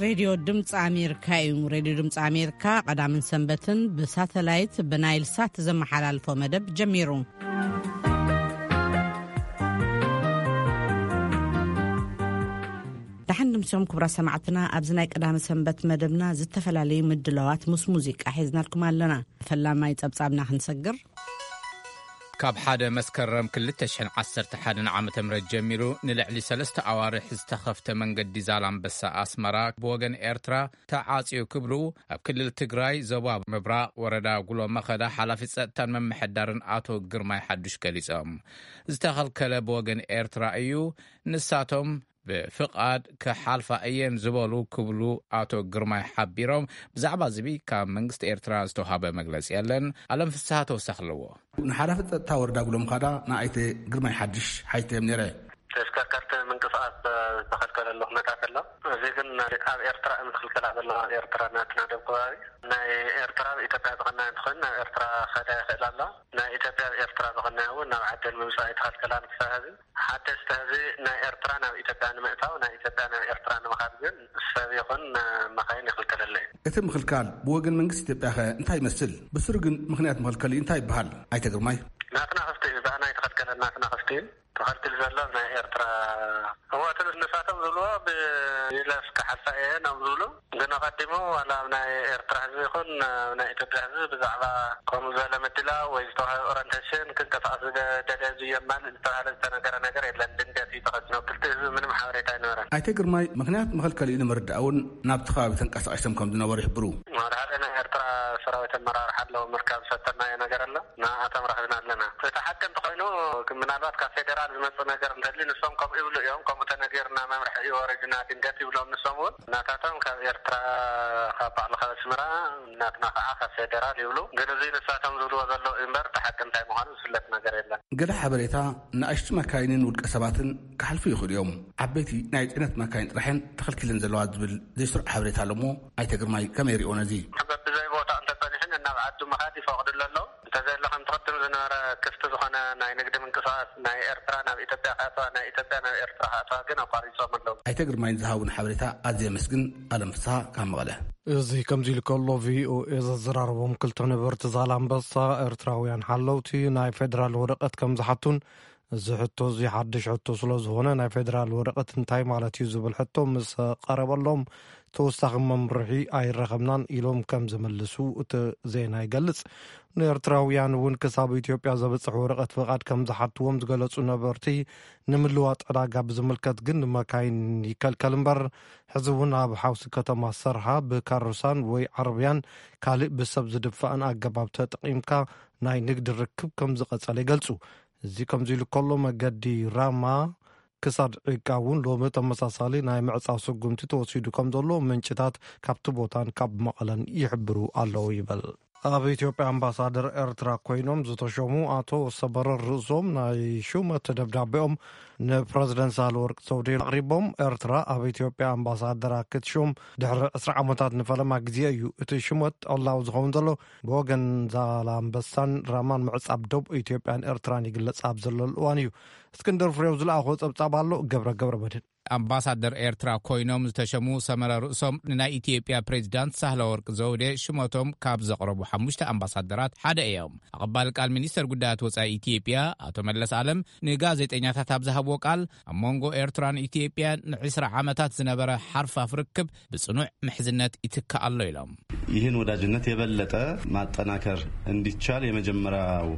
ሬድዮ ድምፂ ኣሜሪካ እዩ። ሬድዮ ድምፂ ኣሜሪካ ቀዳምን ሰንበትን ብሳተላይት ብናይል ሳት ዘመሓላልፎ መደብ ጀሚሩ። ደሓን ድምሶም ክቡራ ሰማዕትና፣ ኣብዚ ናይ ቀዳሚ ሰንበት መደብና ዝተፈላለዩ ምድላዋት ምስ ሙዚቃ ሒዝናልኩም ኣለና። ፈላማይ ጸብጻብና ክንሰግር። ካብ ሓደ መስከረም ክልተ ሽሕን ዓሰርተ ሓደን ዓመተ ምህረት ጀሚሩ ንልዕሊ ሰለስተ ኣዋርሕ ዝተኸፍተ መንገዲ ዛላምበሳ ኣስመራ ብወገን ኤርትራ ተዓጽዩ ክብሉ ኣብ ክልል ትግራይ ዞባ ምብራቕ ወረዳ ጉሎ መኸዳ ሓላፊ ጸጥታን መምሕዳርን ኣቶ ግርማይ ሓዱሽ ገሊጾም። ዝተኸልከለ ብወገን ኤርትራ እዩ፣ ንሳቶም ብፍቓድ ክሓልፋ እየን ዝበሉ ክብሉ ኣቶ ግርማይ ሓቢሮም። ብዛዕባ ዝቢ ካብ መንግስቲ ኤርትራ ዝተውሃበ መግለጺ የለን። ኣለም ፍስሃ ተወሳኺ ኣለዎ። ንሓላፊ ጸጥታ ወረዳ ጉሎም ካዳ ንኣይተ ግርማይ ሓድሽ ሓይተ እዮም ነይረ። ተሽከርከርቲ ምንቅስቃስ ዝተኸልከለሉ ኩነታት ኣሎ። እዚ ግን ኣብ ኤርትራ እዮም ዝኽልከላ ዘለዋ። ኣብ ኤርትራ ናትና ደብ ከባቢ ናይ ኤርትራ ኣብ ኢትዮጵያ ዝቐናየ እንትኾን ናብ ኤርትራ ከዳ ይኽእል ኣሎ። ናይ ኢትዮጵያ ኣብ ኤርትራ ዝቐናየ እውን ናብ ዓደን ምምፃእ ኣይተኸልከላን ክሳብ ሕዚ። ሓደስቲ ህዝቢ ናይ ኤርትራ ናብ ኢትዮጵያ ንምእታው፣ ናይ ኢትዮጵያ ናብ ኤርትራ ንምኻድ ግን ሰብ ይኹን መኻይን ይኽልከለለ እዩ። እቲ ምኽልካል ብወገን መንግስቲ ኢትዮጵያ ኸ እንታይ ይመስል? ብስሩ ግን ምኽንያት መኸልከሊ እንታይ ይበሃል? ኣይተ ግርማይ። ናትና ክፍቲ እዩ፣ ብኣና ኣይተኸልከለን፣ ናትና ክፍቲ እዩ። ተኸልክል ዘሎ ናይ ኤርትራ። እወ፣ እቲ ንሳቶም ዝብልዎ ብይለፍ ክሓልፋ እየ ናብ ዝብሉ፣ ግን ኣቐዲሙ ዋላ ኣብ ናይ ኤርትራ ህዝቢ ይኹን ኣብ ናይ ኢትዮጵያ ህዝቢ ብዛዕባ ከምኡ ዝበለ ምድላው ወይ ዝተዋህበ ኦሪንቴሽን ክንቀሳቐስ ዝደ-፣ ደልየ ዝየማል ዝተባህለ ዝተነገረ ነገር የለን። ድንገት እዩ ተኸልኪሉ። ክልተ ህዝቢ ምንም ሓበሬታ ኣይነበረን። ኣይተ ግርማይ ምኽንያት መኸልከሊኡ ንምርዳእ እውን ናብቲ ከባቢ ተንቀሳቒሶም ከም ዝነበሩ ይሕብሩ። ሓደ ሓደ ናይ ኤርትራ ሰራዊት ኣመራርሓ ኣለዉ፣ ምርካብ ዝፈተናዮ ነገር ኣሎ። ንኣቶም ረኺብና ኣለና። እቲ ሓቂ እንተኾይኑ፣ ምናልባት ካብ ፌዴራል ዝመጽእ ነገር እንተልዩ፣ ንሶም ከምኡ ይብሉ እዮም። ከምኡ ተነጊርና መምርሒ እዩ ወሪድና ድንገት ይብሎም ንሶም እውን። ናታቶም ካብ ኤርትራ፣ ካብ ባዕሉ ካብ ኣስመራ፣ ናትና ከዓ ካብ ፌዴራል ይብሉ። ግን እዚ ንሳቶም ዝብልዎ ዘለዉ እዩ እምበር፣ እቲ ሓቂ እንታይ ምዃኑ ዝፍለጥ ነገር የለን። ገለ ሓበሬታ፣ ንኣሽቱ መካይንን ውልቀ ሰባትን ክሓልፉ ይኽእሉ እዮም። ዓበይቲ ናይ ጽዕነት መካይን ጥራሕን ተኸልኪለን ዘለዋ ዝብል ዘይስሩዕ ሓበሬታ ኣሎ እሞ፣ ኣይተ ግርማይ ከመይ ይሪኦ ነዚ? በብዘይ ቦታ እንተጸኒሕን ናብ ዓዱ ምኻድ ይፈቕድሉ ኣለዉ። እንተዘየለ ከምቲ ቅድም ዝነበረ ክፍቲ ዝኾነ ናይ ንግዲ ምንቅስቃስ ናይ ኤርትራ ናብ ኢትዮጵያ ክኣትዋ፣ ናይ ኢትዮጵያ ናብ ኤርትራ ክኣትዋ ግን ኣቋሪጾም ኣለዉ። ኣይተ ግርማይ ንዝሃቡን ሓበሬታ ኣዝየ የመስግን። ኣለም ፍስሃ ካብ መቐለ። እዚ ከምዚ ኢሉ ከሎ፣ ቪኦኤ ዘዘራረቦም ክልተ ነበርቲ ዛላምበሳ ኤርትራውያን ሓለውቲ ናይ ፌደራል ወረቐት ከም ዝሓቱን እዚ ሕቶ እዚ ሓድሽ ሕቶ ስለ ዝኾነ፣ ናይ ፌደራል ወረቐት እንታይ ማለት እዩ ዝብል ሕቶ ምስ ቀረበሎም፣ ተወሳኺ መምርሒ ኣይረኸብናን ኢሎም ከም ዝምልሱ እቲ ዜና ይገልጽ። ንኤርትራውያን እውን ክሳብ ኢትዮጵያ ዘብጽሕ ወረቐት ፍቓድ ከም ዝሓትዎም ዝገለጹ ነበርቲ፣ ንምልዋጥ ዕዳጋ ብዝምልከት ግን ንመካይን ይከልከል እምበር፣ ሕዚ እውን ኣብ ሓውሲ ከተማ ሰርሃ ብካሮሳን ወይ ዓረብያን ካልእ ብሰብ ዝድፋእን ኣገባብ ተጠቒምካ ናይ ንግዲ ርክብ ከም ዝቐጸለ ይገልጹ። እዚ ከምዚ ኢሉ ከሎ፣ መገዲ ራማ ክሳድ ዒቃ እውን ሎሚ ተመሳሳሊ ናይ ምዕጻው ስጉምቲ ተወሲዱ ከም ዘሎ ምንጭታት ካብቲ ቦታን ካብ መቐለን ይሕብሩ ኣለዉ ይብል። ኣብ ኢትዮጵያ ኣምባሳደር ኤርትራ ኮይኖም ዝተሾሙ ኣቶ ሰበረ ርእሶም ናይ ሹመት ደብዳቤኦም ንፕረዚደንት ሳህለወርቅ ዘውዴ ኣቕሪቦም። ኤርትራ ኣብ ኢትዮጵያ ኣምባሳደራ ክትሾም ድሕሪ ዕስራ ዓመታት ንፈለማ ግዜ እዩ። እቲ ሽመት ዕላዊ ዝኸውን ዘሎ ብወገን ዛላምበሳን ራማን ምዕጻብ ዶብ ኢትዮጵያን ኤርትራን ይግለጽ ኣብ ዘለሉ እዋን እዩ። እስክንድር ፍሬው ዝለኣኾ ጸብጻብ ኣሎ። ገብረ ገብረ መድህን። ኣምባሳደር ኤርትራ ኮይኖም ዝተሸሙ ሰመረ ርእሶም ንናይ ኢትዮጵያ ፕሬዚዳንት ሳህለ ወርቅ ዘውዴ ሽመቶም ካብ ዘቕረቡ ሓሙሽተ ኣምባሳደራት ሓደ እዮም። ኣቐባሊ ቃል ሚኒስተር ጉዳያት ወጻኢ ኢትዮጵያ ኣቶ መለስ ኣለም ንጋዜጠኛታት ኣብ ዝሃብዎ ቃል፣ ኣብ መንጎ ኤርትራን ኢትዮጵያን ንዕስራ ዓመታት ዝነበረ ሓርፋፍ ርክብ ብጽኑዕ ምሕዝነት ይትካእ ኣሎ ኢሎም። ይህን ወዳጅነት የበለጠ ማጠናከር እንዲቻል የመጀመሪያው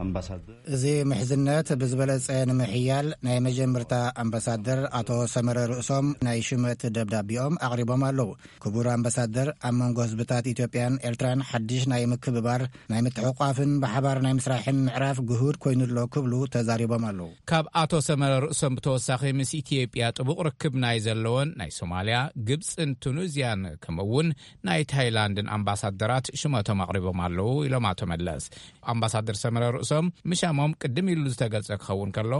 ኣምባሳደር። እዚ ምሕዝነት ብዝበለጸ ንምሕያል ናይ መጀመርታ ኣምባሳደር ኣቶ ሰመረ ርእሶም ናይ ሽመት ደብዳቤኦም ኣቕሪቦም ኣለዉ። ክቡር ኣምባሳደር፣ ኣብ መንጎ ህዝብታት ኢትዮጵያን ኤርትራን ሓድሽ ናይ ምክብባር፣ ናይ ምትሕቋፍን ብሓባር ናይ ምስራሕን ምዕራፍ ግሁድ ኮይኑ ኣሎ ክብሉ ተዛሪቦም ኣለዉ። ካብ ኣቶ ሰመረ ርእሶም ብተወሳኺ ምስ ኢትዮጵያ ጥቡቕ ርክብ ናይ ዘለዎን ናይ ሶማልያ፣ ግብጽን ቱኒዝያን ከምኡ እውን ናይ ታይላንድን ኣምባሳደራት ሽመቶም ኣቕሪቦም ኣለዉ ኢሎም ኣቶ መለስ። ኣምባሳደር ሰመረ ሶም ምሻሞም ቅድም ኢሉ ዝተገልጸ ክኸውን ከሎ፣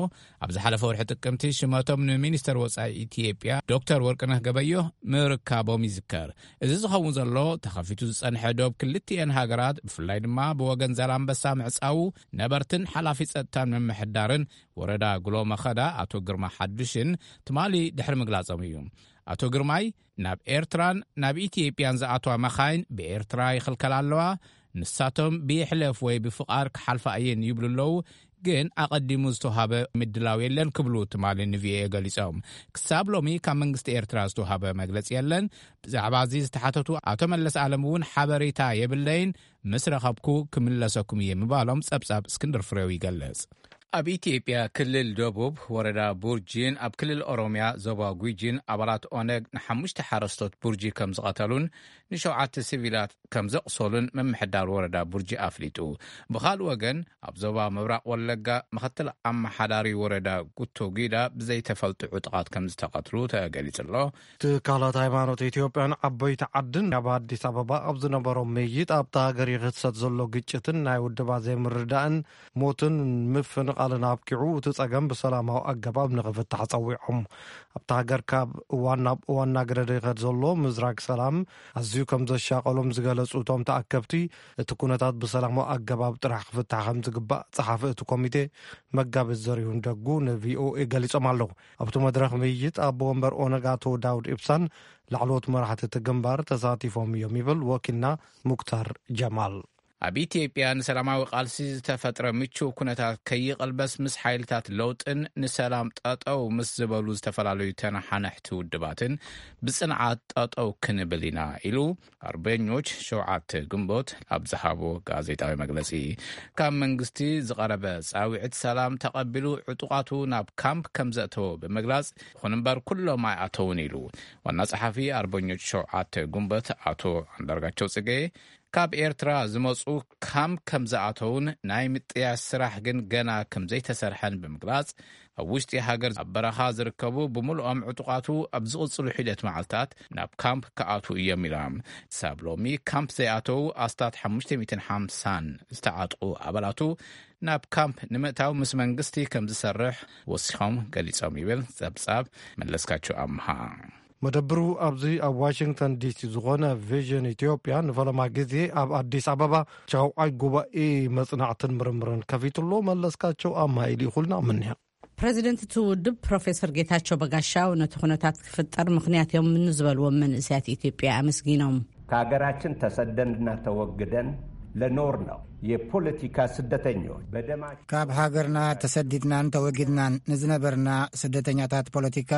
ኣብ ዝሓለፈ ወርሒ ጥቅምቲ ሽመቶም ንሚኒስተር ወጻኢ ኢትዮጵያ ዶክተር ወርቅነህ ገበዮ ምርካቦም ይዝከር። እዚ ዝኸውን ዘሎ፣ ተኸፊቱ ዝጸንሐ ዶብ ክልቲኤን ሃገራት፣ ብፍላይ ድማ ብወገን ዛላምበሳ ምዕጻዉ፣ ነበርትን ሓላፊ ጸጥታን ምምሕዳርን ወረዳ ጉሎ መኸዳ ኣቶ ግርማ ሓዱሽን ትማሊ ድሕሪ ምግላጾም እዩ። ኣቶ ግርማይ፣ ናብ ኤርትራን ናብ ኢትዮጵያን ዝኣትዋ መኻይን ብኤርትራ ይኽልከላ ኣለዋ፣ ንሳቶም ብይሕለፍ ወይ ብፍቓድ ክሓልፋ እየን ይብሉ ኣለዉ፣ ግን ኣቐዲሙ ዝተውሃበ ምድላው የለን ክብሉ ትማሊ ንቪኦኤ ገሊጾም። ክሳብ ሎሚ ካብ መንግስቲ ኤርትራ ዝተውሃበ መግለጺ የለን። ብዛዕባ እዚ ዝተሓተቱ ኣቶ መለስ ኣለም እውን ሓበሬታ የብለይን፣ ምስ ረኸብኩ ክምለሰኩም እየ ምባሎም ጸብጻብ እስክንድር ፍሬው ይገልጽ። ኣብ ኢትዮጵያ ክልል ደቡብ ወረዳ ቡርጂን ኣብ ክልል ኦሮሚያ ዞባ ጉጂን ኣባላት ኦነግ ንሓሙሽተ ሓረስቶት ቡርጂ ከም ዝቐተሉን ንሸውዓተ ሲቪላት ከም ዘቕሰሉን ምምሕዳር ወረዳ ቡርጂ ኣፍሊጡ። ብኻልእ ወገን፣ ኣብ ዞባ ምብራቕ ወለጋ ምኽትል ኣመሓዳሪ ወረዳ ጉቶ ጊዳ ብዘይተፈልጡ ዕጡቓት ከም ዝተቐትሉ ተገሊጹ ኣሎ። ትካላት ሃይማኖት ኢትዮጵያን ዓበይቲ ዓድን ኣብ ኣዲስ ኣበባ ኣብ ዝነበሮም ምይይጥ፣ ኣብታ ሃገር ይኽሰት ዘሎ ግጭትን ናይ ውድባት ዘይምርዳእን ሞትን ምፍንቓልን ኣብቂዑ፣ እቲ ጸገም ብሰላማዊ ኣገባብ ንኽፍታሕ ጸዊዖም። ኣብታ ሃገር ካብ እዋን ናብ እዋን እናገደደ ይኸድ ዘሎ ምዝራግ ሰላም ኣዝዩ ከም ዘሻቐሎም ዝገለጹ እቶም ተኣከብቲ፣ እቲ ኩነታት ብሰላማዊ ኣገባብ ጥራሕ ክፍታሕ ከም ዝግባእ ጸሓፊ እቲ ኮሚቴ መጋቢት ዘሪሁን ደጉ ንቪኦኤ ገሊጾም ኣለዉ። ኣብቲ መድረኽ ምይይጥ ኣቦ ወንበር ኦነግ ኣቶ ዳውድ ኢብሳን ላዕለዎት መራሕቲ እቲ ግንባር ተሳቲፎም እዮም ይብል ወኪልና ሙክታር ጀማል። ኣብ ኢትዮጵያ ንሰላማዊ ቃልሲ ዝተፈጥረ ምቹው ኩነታት ከይቕልበስ፣ ምስ ሓይልታት ለውጥን ንሰላም ጠጠው ምስ ዝበሉ ዝተፈላለዩ ተነሓነሕቲ ውድባትን ብጽንዓት ጠጠው ክንብል ኢና ኢሉ ኣርበኞች ሸውዓተ ግንቦት ኣብ ዝሃቦ ጋዜጣዊ መግለጺ። ካብ መንግስቲ ዝቐረበ ጻውዒት ሰላም ተቐቢሉ ዕጡቓቱ ናብ ካምፕ ከም ዘእተወ ብምግላጽ፣ ይኹን እምበር ኩሎም ኣይኣተውን ኢሉ። ዋና ጸሓፊ ኣርበኞች ሸውዓተ ግንቦት ኣቶ ኣንዳርጋቸው ጽጌ፣ ካብ ኤርትራ ዝመጹ ካምፕ ከም ዝኣተውን ናይ ምጥያሽ ስራሕ ግን ገና ከም ዘይተሰርሐን ብምግላጽ፣ ኣብ ውሽጢ ሃገር ኣብ በረኻ ዝርከቡ ብምልኦም ዕጡቓቱ ኣብ ዝቕጽሉ ሒደት መዓልታት ናብ ካምፕ ክኣትዉ እዮም ኢሎም። ሳብ ሎሚ ካምፕ ዘይኣተዉ ኣስታት ሓሙሽተ ሚእትን ሓምሳን ዝተዓጥቑ ኣባላቱ ናብ ካምፕ ንምእታው ምስ መንግስቲ ከም ዝሰርሕ ወሲኾም ገሊጾም ይብል ጸብጻብ መለስካቸው ኣምሃ። መደብሩ ኣብዚ ኣብ ዋሽንግተን ዲሲ ዝኾነ ቪዥን ኢትዮጵያ ንፈለማ ግዜ ኣብ ኣዲስ ኣበባ ሻውዓይ ጉባኤ መጽናዕትን ምርምርን ከፊትሎ። መለስካቸው ኣምሃ ኢሉ ይኹልና ምንያ። ፕረዚደንት እቲ ውድብ ፕሮፌሰር ጌታቸው በጋሻው ነቲ ኩነታት ክፍጠር ምኽንያት እዮም ንዝበልዎም መንእሰያት ኢትዮጵያ ኣመስጊኖም። ከሀገራችን ተሰደንና ተወግደን ለኖር ነው የፖለቲካ ስደተኞች በደማቸው ካብ ሃገርና ተሰዲድናን ተወጊድናን ንዝነበርና ስደተኛታት ፖለቲካ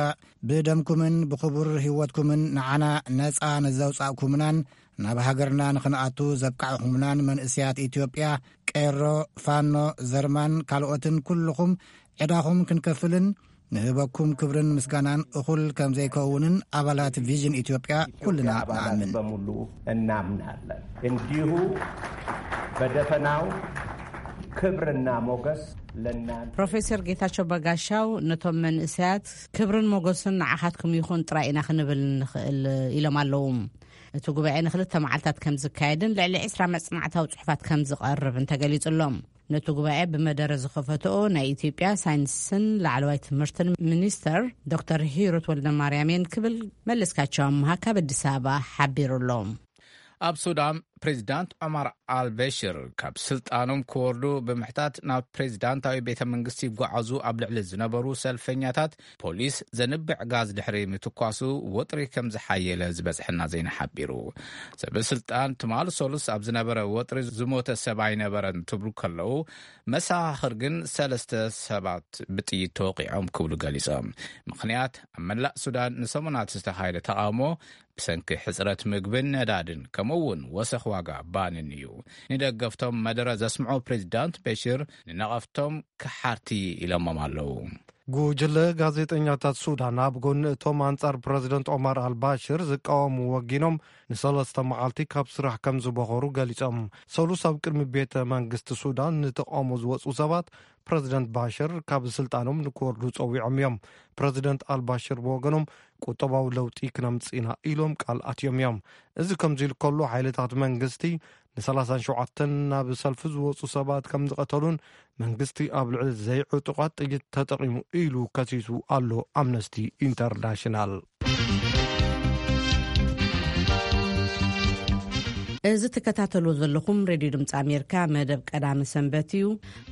ብደምኩምን ብኽቡር ህይወትኩምን ንዓና ነጻ ንዘውጻእኩምናን ናብ ሃገርና ንኽንኣቱ ዘብቃዕኹምናን መንእሰያት ኢትዮጵያ፣ ቄሮ፣ ፋኖ፣ ዘርማን ካልኦትን ኩልኹም ዕዳኹም ክንከፍልን ንህበኩም ክብርን ምስጋናን እኹል ከም ዘይከውንን ኣባላት ቪዥን ኢትዮጵያ ኩልና ኣባላት ንኣምን። በሙሉ እናምናለን። እንዲሁ በደፈናው ክብርና ሞገስ ለእናንተ። ፕሮፌሰር ጌታቸው በጋሻው ነቶም መንእሰያት ክብርን ሞገስን ንዓኻትኩም ይኹን ጥራይ ኢና ክንብል ንኽእል ኢሎም ኣለዉ። እቲ ጉባኤ ንኽልተ መዓልታት ከም ዝካየድን ልዕሊ ዕስራ መጽናዕታዊ ጽሑፋት ከም ዝቐርብን ተገሊጹ ኣሎ። ነቲ ጉባኤ ብመደረ ዝኸፈትኦ ናይ ኢትዮጵያ ሳይንስን ላዕለዋይ ትምህርትን ሚኒስተር ዶክተር ሂሩት ወልደማርያም እየን ክብል መለስካቸው ኣምሃ ካብ ኣዲስ ኣበባ ሓቢሩ ኣሎ። ኣብ ሱዳን፣ ፕሬዚዳንት ዑማር ኣልበሽር ካብ ስልጣኖም ክወርዱ ብምሕታት ናብ ፕሬዚዳንታዊ ቤተ መንግስቲ ይጓዓዙ ኣብ ልዕሊ ዝነበሩ ሰልፈኛታት ፖሊስ ዘንብዕ ጋዝ ድሕሪ ምትኳሱ፣ ወጥሪ ከም ዝሓየለ ዝበጽሐና ዜና ሓቢሩ። ሰበ ስልጣን ትማሊ ሰሉስ ኣብ ዝነበረ ወጥሪ ዝሞተ ሰብ ኣይነበረን ትብሉ ከለዉ፣ መሰኻኽር ግን ሰለስተ ሰባት ብጥይት ተወቒዖም ክብሉ ገሊጾም። ምኽንያት፣ ኣብ መላእ ሱዳን ንሰሙናት ዝተኻየደ ተቓውሞ ብሰንኪ ሕጽረት ምግብን ነዳድን፣ ከምኡ እውን ወሰኽ ዋጋ ባንን እዩ። ንደገፍቶም መደረ ዘስምዑ ፕሬዚዳንት በሽር ንነቐፍቶም ከሓርቲ ኢሎሞም ኣለዉ። ጉጅለ ጋዜጠኛታት ሱዳን ኣብ ጎኒ እቶም ኣንጻር ፕረዚደንት ኦማር ኣልባሽር ዝቃወሙ ወጊኖም ንሰለስተ መዓልቲ ካብ ስራሕ ከም ዝበኾሩ ገሊጾም። ሰሉስ ኣብ ቅድሚ ቤተ መንግስቲ ሱዳን ንተቃውሞ ዝወጹ ሰባት ፕረዚደንት ባሽር ካብ ስልጣኖም ንክወርዱ ጸዊዖም እዮም። ፕረዚደንት ኣልባሽር ብወገኖም ቁጠባዊ ለውጢ ክነምጽእ ኢና ኢሎም ቃል ኣትዮም እዮም። እዚ ከምዚ ኢሉ ከሎ ሓይልታት መንግስቲ ንሰላሳን ሸውዓተን ናብ ሰልፊ ዝወጹ ሰባት ከም ዝቐተሉን መንግስቲ ኣብ ልዕሊ ዘይዕጡቓት ጥይት ተጠቒሙ ኢሉ ከሲሱ ኣሎ ኣምነስቲ ኢንተርናሽናል። እዚ ትከታተልዎ ዘለኹም ሬድዮ ድምፂ ኣሜሪካ መደብ ቀዳሚ ሰንበት እዩ።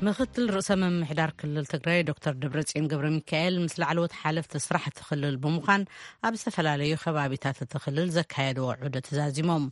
ምክትል ርእሰ ምምሕዳር ክልል ትግራይ ዶክተር ደብረጽዮን ገብረ ሚካኤል ምስ ላዕለዎት ሓለፍቲ ስራሕቲ ክልል ብምዃን ኣብ ዝተፈላለዩ ከባቢታት እቲ ክልል ዘካየድዎ ዑደት ተዛዚሞም።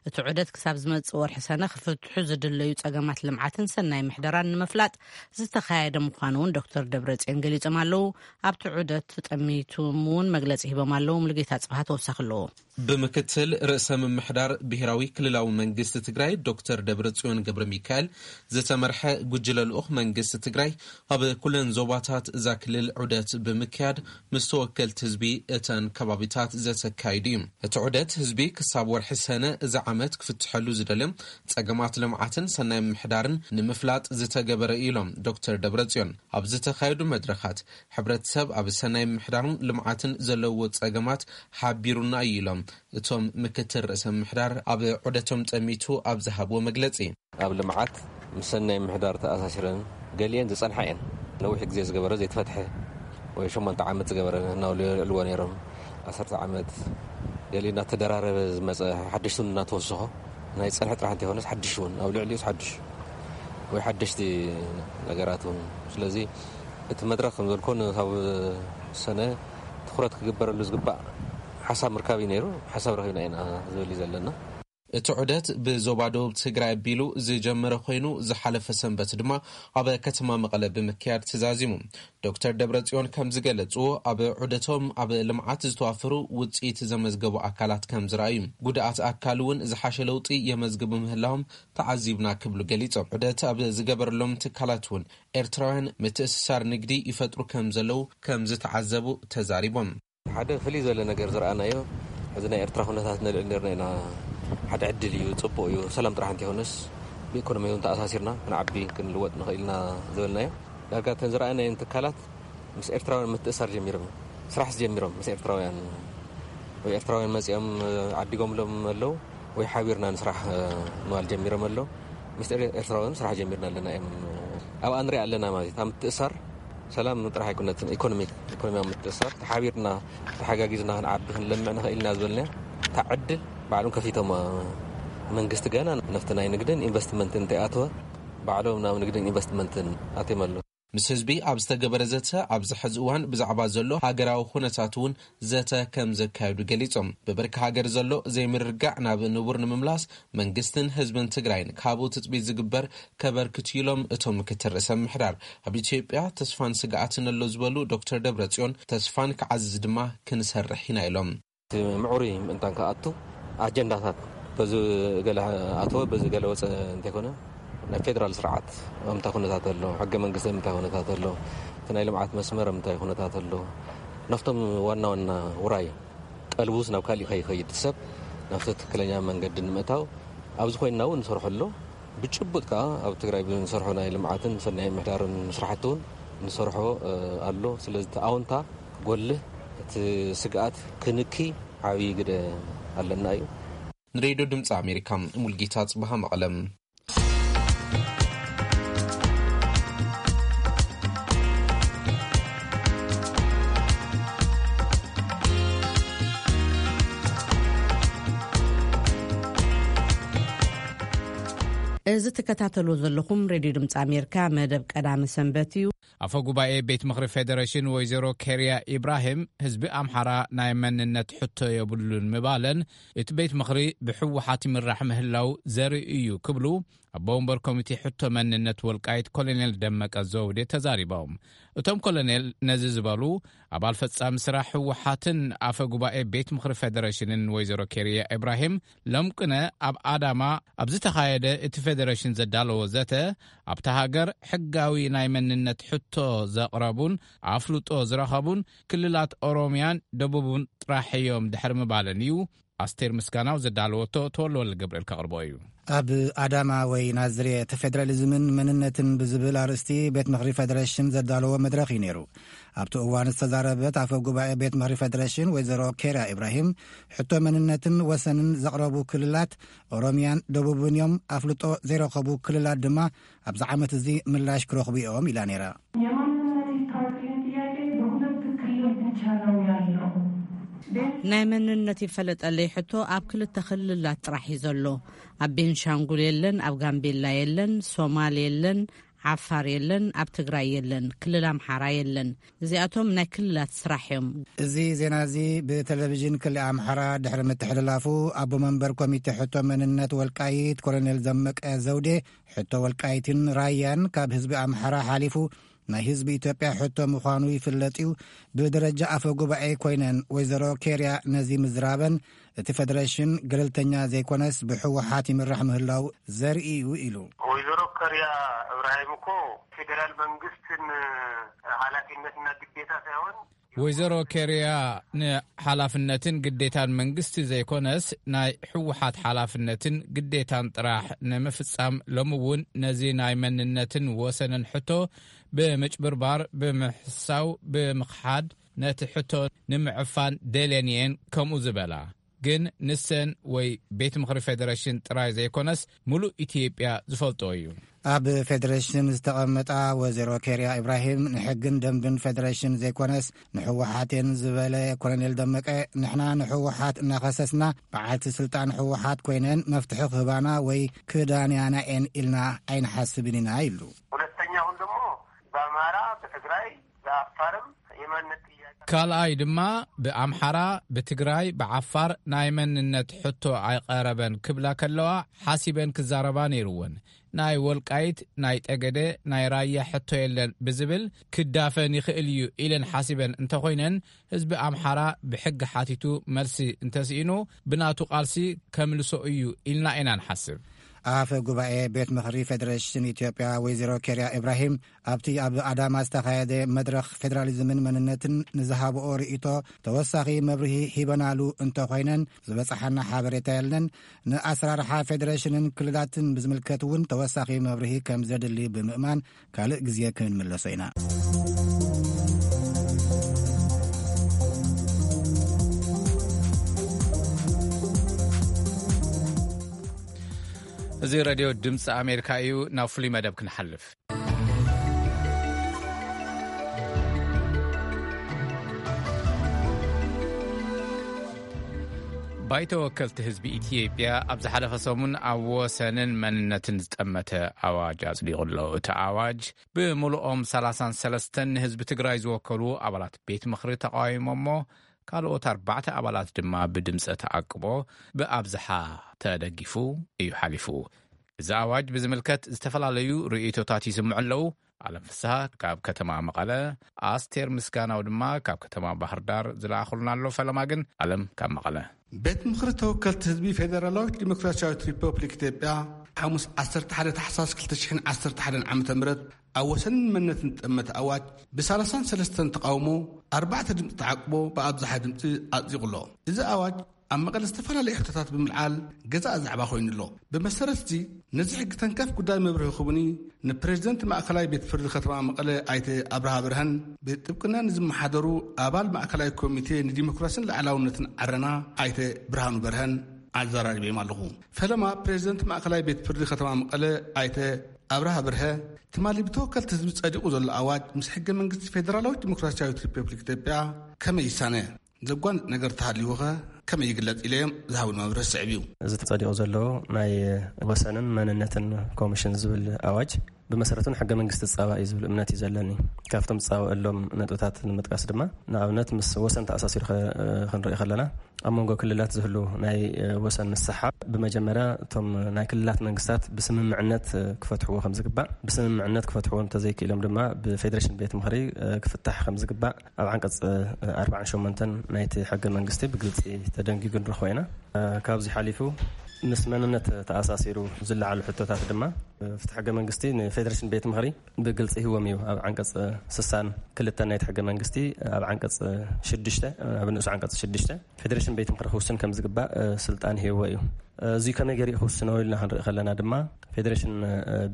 እቲ ዑደት ክሳብ ዝመጽእ ወርሒ ሰነ ክፍትሑ ዝድለዩ ጸገማት ልምዓትን ሰናይ ምሕደራን ንምፍላጥ ዝተኻየደ ምዃኑ እውን ዶክተር ደብረጽዮን ገሊጾም ኣለዉ። ኣብቲ ዑደት ጠሚቶም እውን መግለጺ ሂቦም ኣለዉ። ሙሉጌታ ጽብሃ ተወሳኺ ኣለዎ። ብምክትል ርእሰ ምምሕዳር ብሔራዊ ክልላዊ መንግስቲ ትግራይ ዶክተር ደብረጽዮን ገብረ ሚካኤል ዝተመርሐ ጉጅለ ልኡኽ መንግስቲ ትግራይ ኣብ ኩለን ዞባታት እዛ ክልል ዑደት ብምክያድ ምስ ተወከልቲ ህዝቢ እተን ከባቢታት ዘተካይዱ እዩ። እቲ ዑደት ህዝቢ ክሳብ ወርሒ ሰነ እዚ ዓመት ክፍትሐሉ ዝደልዮም ጸገማት ልምዓትን ሰናይ ምሕዳርን ንምፍላጥ ዝተገበረ እዩ ኢሎም ዶክተር ደብረጽዮን። ኣብ ዝተኻየዱ መድረኻት ሕብረተሰብ ኣብ ሰናይ ምሕዳርን ልምዓትን ዘለዎ ጸገማት ሓቢሩና እዩ ኢሎም እቶም ምክትል ርእሰ ምሕዳር ኣብ ዑደቶም ጠሚቱ ኣብ ዝሃብዎ መግለጺ። ኣብ ልምዓት ምስ ሰናይ ምሕዳር ተኣሳሲረን ገሊአን ዝጸንሓ እየን። ነዊሕ ግዜ ዝገበረ ዘይተፈትሐ ወይ ሸሞንተ ዓመት ዝገበረ እናበሉ የልዕልዎ ነይሮም። ዓሰርተ ዓመት ገሊኡ እናተደራረበ ዝመጸ ሓድሽ እውን እናተወሰኾ ናይ ጸንሐ ጥራሕ እንተይኮነስ ሓድሽ እውን ኣብ ልዕሊኡስ ሓድሽ ወይ ሓደሽቲ ነገራት እውን። ስለዚ እቲ መድረኽ ከም ዘልኮ ንሳብ ሰነ ትኹረት ክግበረሉ ዝግባእ ሓሳብ ምርካብ እዩ ነይሩ። ሓሳብ ረኺብና ኢና ዝብል እዩ ዘለና። እቲ ዑደት ብዞባ ደቡብ ትግራይ ኣቢሉ ዝጀመረ ኮይኑ ዝሓለፈ ሰንበት ድማ ኣብ ከተማ መቐለ ብምክያድ ተዛዚሙ። ዶክተር ደብረጽዮን ከም ዝገለጹ ኣብ ዑደቶም ኣብ ልምዓት ዝተዋፈሩ ውጽኢት ዘመዝገቡ ኣካላት ከም ዝረኣዩ፣ ጉድኣት ኣካል እውን ዝሓሸ ለውጢ የመዝግቡ ምህላዎም ተዓዚብና ክብሉ ገሊጾም። ዑደት ኣብ ዝገበረሎም ትካላት እውን ኤርትራውያን ምትእስሳር ንግዲ ይፈጥሩ ከም ዘለዉ ከም ዝተዓዘቡ ተዛሪቦም። ሓደ ፍልይ ዝበለ ነገር ዝረኣናዮ፣ እዚ ናይ ኤርትራ ኩነታት ነልዕል ነርና ኢና። ሓደ ዕድል እዩ፣ ጽቡቕ እዩ። ሰላም ጥራሕ እንተይኮነስ ብኢኮኖሚ እውን ተኣሳሲርና ክንዓቢ ክንልወጥ ንኽእል ኢና ዝበልናዮ። ዳርጋ እተን ዝረኣናየን ትካላት ምስ ኤርትራውያን ምትእሳር ጀሚሮም፣ ስራሕ ጀሚሮም ምስ ኤርትራውያን ወይ ኤርትራውያን መጺኦም ዓዲጎምሎም ኣለዉ ወይ ሓቢርና ንስራሕ ምባል ጀሚሮም ኣለዉ። ምስ ኤር-፣ ኤርትራውያን ስራሕ ጀሚርና ኣለና እዮም። ኣብኣ ንሪኣ ኣለና ማለት እዩ። እታ ምትእሳር ሰላም ጥራሕ ኣይኮነትን፣ ኢኮኖሚክ፣ ኢኮኖሚያዊ ምትእሳር ተሓቢርና ተሓጋጊዝና ክንዓቢ ክንለምዕ ንኽእል ኢና ዝበልናዮ እታ ዕድል ባዕሎም ከፊቶም፣ መንግስቲ ገና ነፍቲ ናይ ንግድን ኢንቨስትመንትን እንተይኣተወ ባዕሎም ናብ ንግድን ኢንቨስትመንትን ኣትዮም ኣለዉ። ምስ ህዝቢ ኣብ ዝተገበረ ዘተ ኣብዚ ሕዚ እዋን ብዛዕባ ዘሎ ሃገራዊ ኩነታት እውን ዘተ ከም ዘካየዱ ገሊጾም። ብብርኪ ሃገር ዘሎ ዘይምርግጋዕ ናብ ንቡር ንምምላስ መንግስትን ህዝብን ትግራይን ካብኡ ትጽቢት ዝግበር ከበርክቱ ኢሎም እቶም ምክትል ርእሰ ምምሕዳር። ኣብ ኢትዮጵያ ተስፋን ስግኣትን ኣሎ ዝበሉ ዶክተር ደብረጽዮን ተስፋን ክዓዝዝ ድማ ክንሰርሕ ኢና ኢሎም። እቲ ምዕሩይ ምእንታን ክኣቱ ኣጀንዳታት በዚ ገለ ኣተወ በዚ ገለ ወፀ እንተይኮነ ናይ ፌደራል ስርዓት ኣብ ምንታይ ኩነታት ኣሎ፣ ሕገ መንግስቲ ኣብ ምንታይ ኩነታት ኣሎ፣ እቲ ናይ ልምዓት መስመር ኣብ ምንታይ ኩነታት ኣሎ፣ ናብቶም ዋና ዋና ውራይ ቀልቡስ ናብ ካሊእ ከይኸይድ ሰብ ናብቲ ትክክለኛ መንገዲ ንምእታው ኣብዚ ኮይንና እውን ንሰርሖ ኣሎ። ብጭቡጥ ከዓ ኣብ ትግራይ ብንሰርሖ ናይ ልምዓትን ሰናይ ምሕዳርን ስራሕቲ እውን ንሰርሖ ኣሎ። ስለዚ እቲ ኣውንታ ክጎልህ እቲ ስግኣት ክንኪ ዓብዪ ግደ ኣለና እዩ። ንሬድዮ ድምፂ ኣሜሪካ ሙልጌታ ጽብሃ መቐለም። እዚ ትከታተልዎ ዘለኹም ሬድዮ ድምፂ ኣሜሪካ መደብ ቀዳሚ ሰንበት እዩ። ኣፈ ጉባኤ ቤት ምኽሪ ፌደሬሽን ወይዘሮ ኬርያ ኢብራሂም ህዝቢ ኣምሓራ ናይ መንነት ሕቶ የብሉን ምባለን እቲ ቤት ምኽሪ ብህወሓት ይምራሕ ምህላው ዘርኢ እዩ ክብሉ ኣቦ ወንበር ኮሚቴ ሕቶ መንነት ወልቃይት ኮሎኔል ደመቀ ዘውዴ ተዛሪቦም። እቶም ኮሎኔል ነዚ ዝበሉ ኣባል ፈጻሚ ስራሕ ህወሓትን ኣፈ ጉባኤ ቤት ምኽሪ ፌደሬሽንን ወይዘሮ ኬርያ ኢብራሂም ሎም ቅነ ኣብ ኣዳማ ኣብ ዝተኻየደ እቲ ፌደሬሽን ዘዳለዎ ዘተ ኣብታ ሃገር ሕጋዊ ናይ መንነት ሕቶ ዘቕረቡን ኣፍልጦ ዝረኸቡን ክልላት ኦሮሚያን ደቡብን ጥራሕ እዮም ድሕሪ ምባለን እዩ ኣስቴር ምስጋናው ዘዳለወቶ ተወልደ ወልደገብርኤል ከቕርቦ እዩ። ኣብ ኣዳማ ወይ ናዝሬት ፌደራሊዝምን መንነትን ብዝብል ኣርእስቲ ቤት ምኽሪ ፌደሬሽን ዘዳለዎ መድረኽ እዩ ነይሩ። ኣብቲ እዋን ዝተዛረበት ኣፈ ጉባኤ ቤት ምኽሪ ፌደሬሽን ወይዘሮ ኬርያ ኢብራሂም፣ ሕቶ መንነትን ወሰንን ዘቕረቡ ክልላት ኦሮሚያን ደቡብን እዮም፣ ኣፍልጦ ዘይረኸቡ ክልላት ድማ ኣብዚ ዓመት እዚ ምላሽ ክረኽቡ እዮም ኢላ ነይራ። የማንነት ይታወቅልኝ ጥያቄ በሁለት ክልል ብቻ ነው ያለው። ናይ መንነት ይፈለጠለይ ሕቶ ኣብ ክልተ ክልላት ጥራሕ እዩ ዘሎ። ኣብ ቤንሻንጉል የለን፣ ኣብ ጋምቤላ የለን፣ ሶማል የለን፣ ዓፋር የለን፣ ኣብ ትግራይ የለን፣ ክልል ኣምሓራ የለን። እዚኣቶም ናይ ክልላት ስራሕ እዮም። እዚ ዜና እዚ ብቴሌቪዥን ክልል ኣምሓራ ድሕሪ ምትሕልላፉ፣ ኣቦ መንበር ኮሚቴ ሕቶ መንነት ወልቃይት ኮሎኔል ደመቀ ዘውዴ፣ ሕቶ ወልቃይትን ራያን ካብ ህዝቢ ኣምሓራ ሓሊፉ ናይ ህዝቢ ኢትዮጵያ ሕቶ ምዃኑ ይፍለጥ እዩ። ብደረጃ ኣፈ ጉባኤ ኮይነን ወይዘሮ ኬርያ ነዚ ምዝራበን፣ እቲ ፌደሬሽን ገለልተኛ ዘይኮነስ ብህወሓት ይምራሕ ምህላው ዘርኢ እዩ ኢሉ። ወይዘሮ ኬርያ እብራሂም እኮ ፌዴራል መንግስትን ኃላፊነትና ግዴታ ሳይሆን፣ ወይዘሮ ኬርያ ንሓላፍነትን ግዴታን መንግስቲ ዘይኮነስ ናይ ህወሓት ሓላፍነትን ግዴታን ጥራሕ ንምፍጻም፣ ሎሚ እውን ነዚ ናይ መንነትን ወሰንን ሕቶ ብምጭብርባር፣ ብምሕሳው፣ ብምኽሓድ፣ ነቲ ሕቶ ንምዕፋን ደልየን እየን ከምኡ ዝበላ። ግን ንሰን ወይ ቤት ምኽሪ ፌደሬሽን ጥራይ ዘይኮነስ፣ ምሉእ ኢትዮጵያ ዝፈልጦ እዩ። ኣብ ፌደሬሽን ዝተቐመጣ ወይዘሮ ኬርያ ኢብራሂም፣ ንሕግን ደንብን ፌደሬሽን ዘይኮነስ ንህወሓት እየን ዝበለ ኮሎኔል ደመቀ፣ ንሕና ንህወሓት እናኸሰስና፣ በዓልቲ ስልጣን ህወሓት ኮይነን መፍትሒ ክህባና ወይ ክዳንያና እየን ኢልና ኣይንሓስብን ኢና ኢሉ። ሁለተኛ፣ አሁን ደግሞ በአማራ፣ በትግራይ፣ በአፋርም የማንነት ጥያቄ ካልኣይ ድማ፣ ብኣምሓራ፣ ብትግራይ፣ ብዓፋር ናይ መንነት ሕቶ ኣይቐረበን ክብላ ከለዋ፣ ሓሲበን ክዛረባ ነይርወን። ናይ ወልቃይት፣ ናይ ጠገደ፣ ናይ ራያ ሕቶ የለን ብዝብል ክዳፈን ይኽእል እዩ ኢለን ሓሲበን እንተኾይነን፣ ህዝቢ ኣምሓራ ብሕጊ ሓቲቱ መልሲ እንተስኢኑ፣ ብናቱ ቃልሲ ከምልሶ እዩ ኢልና ኢና ንሓስብ። ኣፈ ጉባኤ ቤት ምኽሪ ፌደሬሽን ኢትዮጵያ ወይዘሮ ኬርያ ኢብራሂም፣ ኣብቲ ኣብ ኣዳማ ዝተኻየደ መድረኽ ፌደራሊዝምን መንነትን ንዝሃብኦ ርእይቶ ተወሳኺ መብርሂ ሂበናሉ እንተኾይነን፣ ዝበጽሓና ሓበሬታ የለን። ንኣሰራርሓ ፌደሬሽንን ክልላትን ብዝምልከት እውን ተወሳኺ መብርሂ ከም ዘድሊ ብምእማን፣ ካልእ ግዜ ክንምለሶ ኢና። እዚ ሬድዮ ድምፂ ኣሜሪካ እዩ። ናብ ፍሉይ መደብ ክንሓልፍ። ባይቶ ወከልቲ ህዝቢ ኢትዮጵያ ኣብ ዝሓለፈ ሰሙን ኣብ ወሰንን መንነትን ዝጠመተ ኣዋጅ ኣጽዲቑ ኣሎ። እቲ ኣዋጅ ብምሉኦም ሰላሳን ሰለስተን ንህዝቢ ትግራይ ዝወከሉ ኣባላት ቤት ምኽሪ ተቃዊሞሞ፣ ካልኦት ኣርባዕተ ኣባላት ድማ ብድምፀ ተኣቅቦ ብኣብዝሓ ተደጊፉ እዩ ሓሊፉ። እዚ ኣዋጅ ብዝምልከት ዝተፈላለዩ ርእይቶታት ይስምዑ ኣለዉ። ኣለም ፍስሃ ካብ ከተማ መቐለ፣ ኣስቴር ምስጋናው ድማ ካብ ከተማ ባህር ዳር ዝለኣኹልና ኣሎ። ፈለማ ግን ኣለም ካብ መቐለ። ቤት ምኽሪ ተወከልቲ ህዝቢ ፌደራላዊት ዲሞክራሲያዊት ሪፐብሊክ ኢትዮጵያ ሓሙስ ዓሰርተ ሓደ ታሕሳስ ክልተ ሽሕን ዓሰርተ ሓደን ዓመተ ምህረት ኣብ ወሰንን መንነትን ዝጠመተ ኣዋጅ ብሳላሳን ሰለስተን ተቃውሞ ኣርባዕተ ድምፂ ተዓቅቦ ብኣብዝሓ ድምፂ ኣጽዲቑ ኣሎ። እዚ ኣዋጅ ኣብ መቐለ ዝተፈላለዩ ሕቶታት ብምልዓል ገዛእ ዛዕባ ኮይኑ ኣሎ። ብመሰረት እዚ ነዚ ሕጊ ተንከፍ ጉዳይ መብርሂ ክቡኒ ንፕሬዚደንት ማእከላይ ቤት ፍርዲ ከተማ መቐለ ኣይተ ኣብርሃ በርሀን ብጥብቅና ንዝመሓደሩ ኣባል ማእከላይ ኮሚቴ ንዲሞክራሲን ላዕላውነትን ዓረና ኣይተ ብርሃኑ በርሀን ኣዘራሪበዮም ኣለኹ። ፈለማ ፕሬዚደንት ማእከላይ ቤት ፍርዲ ከተማ መቐለ ኣይተ ኣብርሃ በርሀ፣ ትማሊ ብተወከልቲ ህዝቢ ጸዲቑ ዘሎ ኣዋጅ ምስ ሕገ መንግስቲ ፌደራላዊት ዲሞክራሲያዊት ሪፐብሊክ ኢትዮጵያ ከመይ ይሳነ? ዘጓንጽ ነገር ተሃልዩኸ ከመይ ይግለጽ ኢለዮም ዝሃቡን መብርሂ ስዕብ እዩ። እዚ ተጸዲቑ ዘሎ ናይ ወሰንን መንነትን ኮሚሽን ዝብል ኣዋጅ ብመሰረቱ ንሕገ መንግስቲ ዝጻባእ እዩ ዝብል እምነት እዩ ዘለኒ። ካብቶም ዝጻባእሎም ነጥብታት ንምጥቃስ ድማ፣ ንኣብነት ምስ ወሰን ተኣሳሲሩ ከ-፣ ክንርኢ ከለና፣ ኣብ መንጎ ክልላት ዝህሉ ናይ፣ እ፣ ወሰን ምስሓብ፣ ብመጀመርያ እቶም ናይ ክልላት መንግስታት ብስምምዕነት፣ እ፣ ክፈትሕዎ ከም ዝግባእ፣ ብስምምዕነት ክፈትሕዎ እንተዘይክኢሎም ድማ ብፌዴሬሽን ቤት ምኽሪ፣ እ፣ ክፍታሕ ከም ዝግባእ ኣብ ዓንቀጽ፣ እ፣ ኣርባዓን ሸሞንተን ናይቲ ሕገ መንግስቲ ብግልጺ ተደንጊጉ ንረኽቦ ኢና። ካብዚ ሓሊፉ ምስ መንነት ተኣሳሲሩ ዝለዓሉ ሕቶታት ድማ ፍትሒ ሕገ መንግስቲ ንፌደሬሽን ቤት ምኽሪ ብግልፂ ሂዎም እዩ። ኣብ ዓንቀፅ ስሳን ክልተን ናይቲ ሕገ መንግስቲ ኣብ ዓንቀፅ ሽዱሽተ ኣብ ንእሱ ዓንቀፅ ሽዱሽተ ፌደሬሽን ቤት ምኽሪ ክውስን ከም ዝግባእ ስልጣን ሂዎ እዩ። እዚ ከመይ ገይሩ ክውስኖ ኢልና ክንርኢ ከለና ድማ ፌደሬሽን